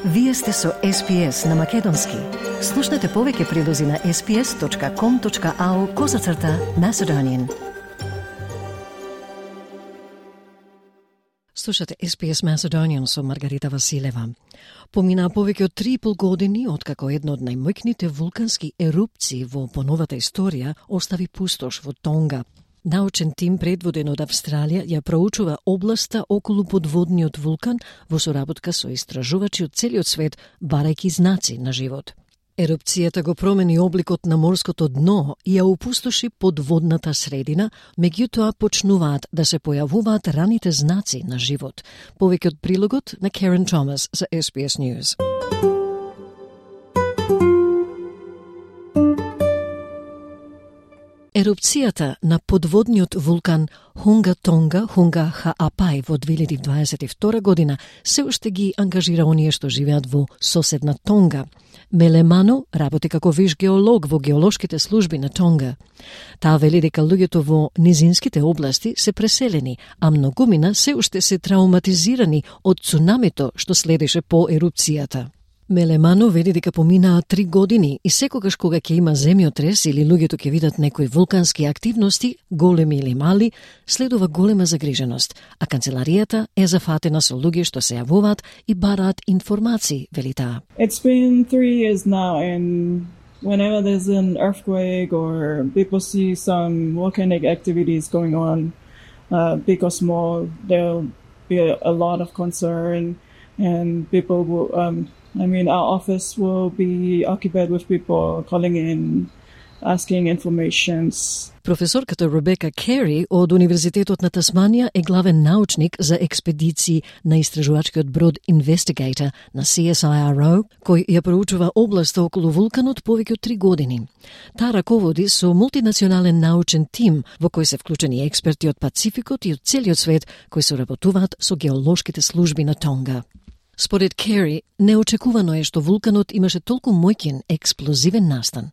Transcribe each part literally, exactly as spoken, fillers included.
Вие сте со Ес Би Ес на Македонски. Слушнете повеќе прилози на ес би ес точка ком точка ау козацрта Macedonian. Слушате Ес Би Ес Macedonian со Маргарита Василева. Поминаа повеќе од три и пол години откако едно од најмојкните вулкански ерупции во поновата историја остави пустош во Тонга. Научен тим предводен од Австралија ја проучува областа околу подводниот вулкан во соработка со истражувачи од целиот свет, барајќи знаци на живот. Ерупцијата го промени обликот на морското дно и ја опустоши подводната средина, меѓутоа почнуваат да се појавуваат раните знаци на живот. Повеќе од прилогот на Карен Томас за Ес Би Ес News. Ерупцијата на подводниот вулкан Хунга Тонга, Хунга Хаапај во две илјади дваесет и втора година се уште ги ангажира оние што живеат во соседна Тонга. Меле Мано работи како виш геолог во геолошките служби на Тонга. Таа вели дека луѓето во низинските области се преселени, а многумина се уште се трауматизирани од цунамито што следеше по ерупцијата. Мелемано вели дека поминаа три години и секогаш кога ќе има земјотрес или луѓето ќе видат некои вулкански активности, големи или мали, следува голема загриженост, а канцеларијата е зафатена со луѓе што се јавуваат и бараат информации, вели таа. It's been three years now, and whenever there's an earthquake or people see some volcanic activities going on, uh, big or small, there'll be a, a lot of concern, and people will um, I mean, our office will be occupied with people calling in, asking informations. Професорката Ребека Кери од Универзитетот на Тасманија е главен научник за експедиции на истражувачкиот брод Investigator на Си Ес Ај Ар О, кој ја проучува областа околу вулканот повеќе од три години. Таа раководи со мултинационален научен тим во кој се вклучени експерти од Пацификот и од целиот свет кои соработуваат со геолошките служби на Тонга. Според Кери, неочекувано е што вулканот имаше толку моќен експлозивен настан.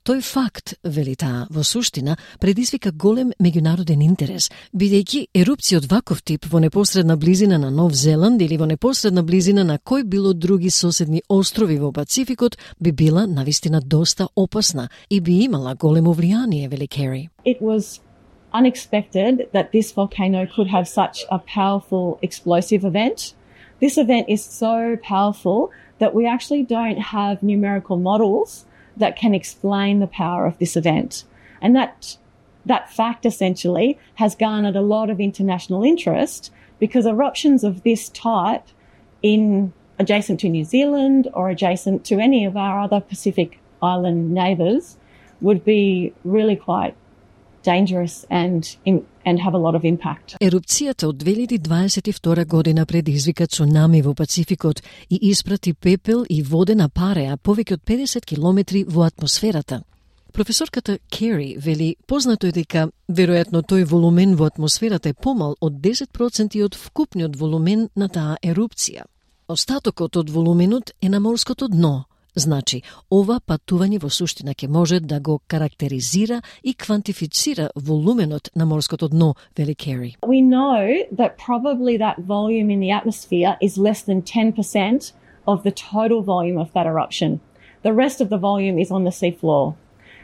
Тој факт, вели таа, во суштина, предизвика голем меѓународен интерес, бидејќи ерупција од ваков тип во непосредна близина на Нов Зеланд или во непосредна близина на кој било други соседни острови во Пацификот би била навистина доста опасна и би имала големо влијание, вели Кери. It was unexpected that this volcano could have such a powerful explosive event. This event is so powerful that we actually don't have numerical models that can explain the power of this event. And that that fact essentially has garnered a lot of international interest because eruptions of this type in adjacent to New Zealand or adjacent to any of our other Pacific Island neighbours would be really quite dangerous and and have a lot of impact. Ерупцијата од две илјади дваесет и втора година предизвика цунами во Пацификот и испрати пепел и водена пареа повеќе од педесет километри во атмосферата. Професорката Кери вели познато е дека веројатно тој волумен во атмосферата е помал од десет проценти од вкупниот волумен на таа ерупција. Остатокот од волуменот е на морското дно. Значи, ова патување во суштина ќе може да го карактеризира и квантифицира волуменот на морското дно, вели Кери. We know that probably that volume in the atmosphere is less than ten percent of the total volume of that eruption. The rest of the volume is on the seafloor.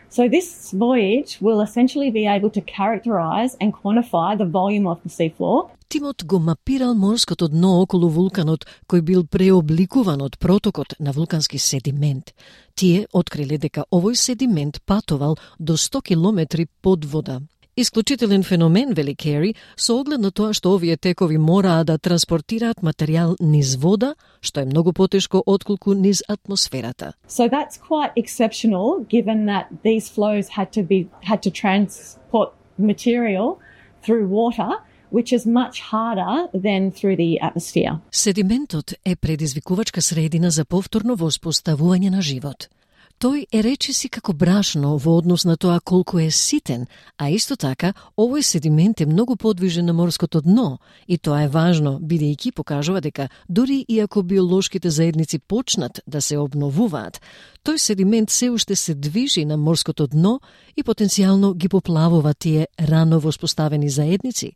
So this voyage will essentially be able to characterize and quantify the volume of the seafloor. Тимот го мапирал морското дно околу вулканот, кој бил преобликуван од протокот на вулкански седимент. Тие откриле дека овој седимент патувал до сто километри под вода. Исклучителен феномен, вели Кери, со оглед на тоа што овие текови мораа да транспортираат материјал низ вода, што е многу потешко отколку низ атмосферата. So that's quite exceptional given that these flows had to be had to transport material through water, which is much harder than through the atmosphere. Седиментот е предизвикувачка средина за повторно воспоставување на живот. Тој е речиси како брашно во однос на тоа колку е ситен, а исто така овој седимент е многу подвижен на морското дно и тоа е важно, бидејќи покажува дека дури и ако биолошките заедници почнат да се обновуваат, тој седимент се уште се движи на морското дно и потенцијално ги поплавува тие рано воспоставени заедници.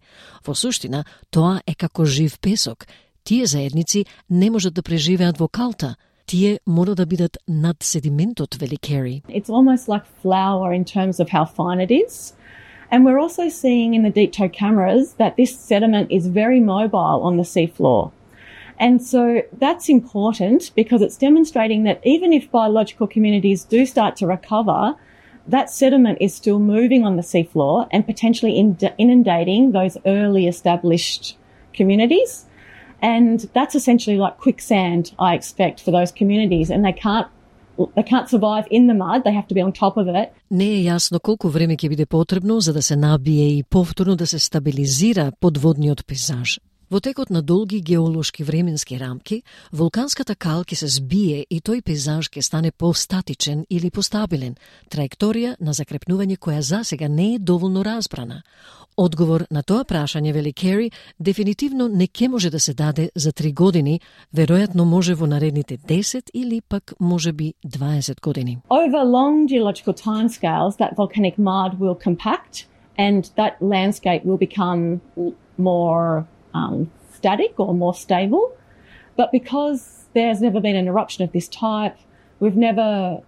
Во суштина, тоа е како жив песок. Тие заедници не можат да преживеат во калта. Тие мора да бидат над седиментот, вели Керри. It's almost like flour in terms of how fine it is. And we're also seeing in the deep tow cameras that this sediment is very mobile on the seafloor. And so that's important because it's demonstrating that even if biological communities do start to recover, that sediment is still moving on the seafloor and potentially inundating those early established communities. And that's essentially like quicksand, I expect, for those communities. And they can't they can't survive in the mud, they have to be on top of it. Не е јасно колку време ќе биде потребно за да се набие и повторно да се стабилизира подводниот пейзаж. Во текот на долги геолошки временски рамки, вулканската кал ќе се збие и тој пейзаж ќе стане постатичен или постабилен, траекторија на закрепнување која засега не е доволно разбрана. Одговор на тоа прашање, вели Керри, дефинитивно не ќе може да се даде за три години, веројатно може во наредните десет или пак може би дваесет години. Over long geological timescales, that volcanic mud will compact and that landscape will become more um, static or more stable. But because there's never been an eruption of this type, we've never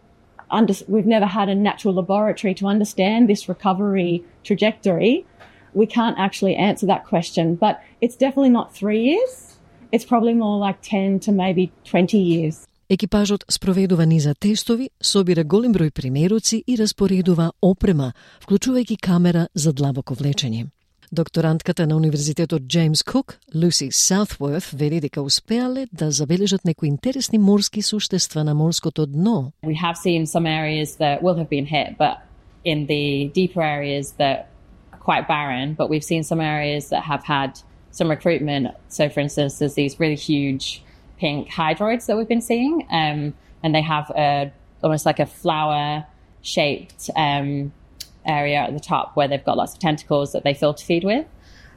under, we've never had a natural laboratory to understand this recovery trajectory. We can't actually answer that question, but it's definitely not three years. It's probably more like ten to maybe twenty years. Екипажот спроведува низа тестови, собира голем број примеруци и распоредува опрема, вклучувајќи камера за длабоко влечење. Докторантката на Универзитетот Джеймс Кук, Луси Саутворт, вели дека успеале да забележат некои интересни морски суштества на морското дно. We have seen some areas that will have been hit, but in the deeper areas that quite barren, but we've seen some areas that have had some recruitment. So, for instance, there's these really huge pink hydroids that we've been seeing, um, and they have a, almost like a flower-shaped um, area at the top where they've got lots of tentacles that they filter feed with,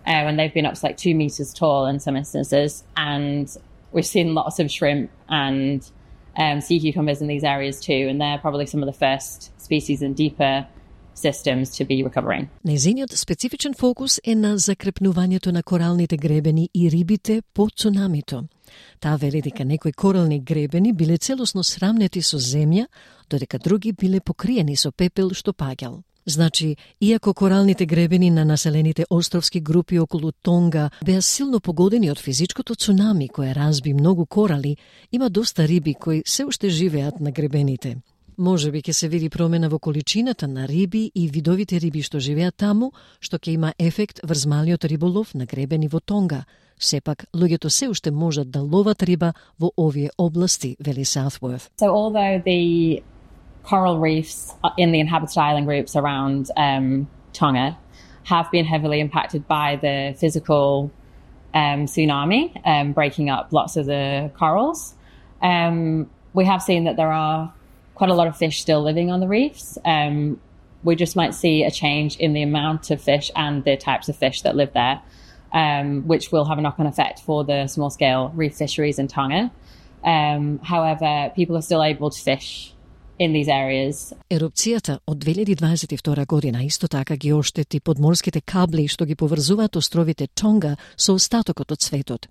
um, and they've been up to like two meters tall in some instances. And we've seen lots of shrimp and um, sea cucumbers in these areas too, and they're probably some of the first species in deeper systems to be recovering. Незиниот специфичен фокус е на закрепнувањето на коралните гребени и рибите по цунамито. Таа вели дека некои корални гребени биле целосно срамнети со земја, додека други биле покриени со пепел што паѓал. Значи, иако коралните гребени на населените островски групи околу Тонга беа силно погодени од физичкото цунами кое разби многу корали, има доста риби кои се уште живеат на гребените. Може би ќе се види промена во количината на риби и видовите риби што живеат таму, што ќе има ефект врз малиот риболов на гребени во Тонга. Сепак, луѓето се уште можат да ловат риба во овие области, вели Саутворт. So although the coral reefs in the inhabited island groups around um, Tonga have been heavily impacted by the physical um, tsunami, um, breaking up lots of the corals, um, we have seen that there are quite a lot of fish still living on the reefs. Um, we just might see a change in the amount of fish and the types of fish that live there, um, which will have a knock-on effect for the small-scale reef fisheries in Tonga. Um, however, people are still able to fish in these areas. Ерупцијата од две илјади дваесет и втора година исто така ги оштети подморските кабли што ги поврзуваат островите Тонга со остатокот од светот.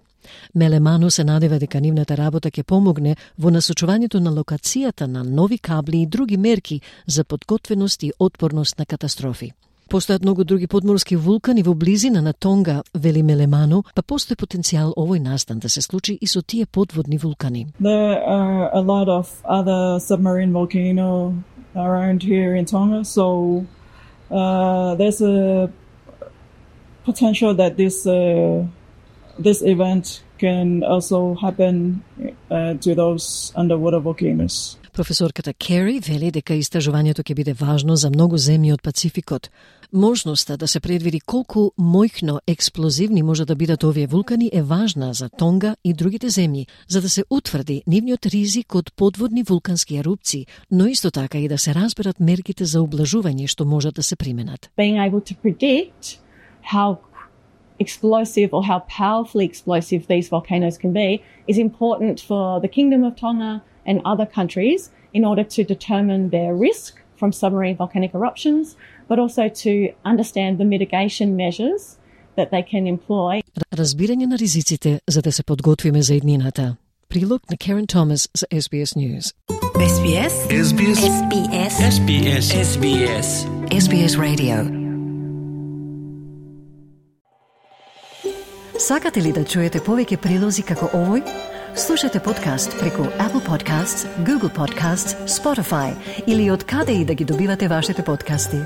Мелеману се надева дека нивната работа ќе помогне во насочувањето на локацијата на нови кабли и други мерки за подготвеност и отпорност на катастрофи. Постојат многу други подморски вулкани во близина на Тонга, вели Мелеману, па постои потенцијал овој настан да се случи и со тие подводни вулкани. There are a lot of other submarine volcanoes around here in Tonga, so uh, there's a potential that this uh, this event can also happen uh, to those underwater volcanoes. Професорката Керри вели дека истражувањето ќе биде важно за многу земји од Пацификот. Можноста да се предвиди колку мојно експлозивни може да бидат овие вулкани е важна за Тонга и другите земји, за да се утврди нивниот ризик од подводни вулкански ерупции, но исто така и да се разберат мерките за ублажување што можат да се применат. Being able to predict how explosive or how powerfully explosive these volcanoes can be is important for the Kingdom of Tonga and other countries in order to determine their risk from submarine volcanic eruptions, but also to understand the mitigation measures that they can employ. Разбирање на ризиците за да се подготвиме за иднината. Прилог на Karen Thomas за S B S News. S B S S B S S B S S B S S B S S B S Radio. Сакате ли да чуете повеќе прилози како овој? Слушате подкаст преку Apple Podcasts, Google Podcasts, Spotify или од каде и да ги добивате вашите подкасти.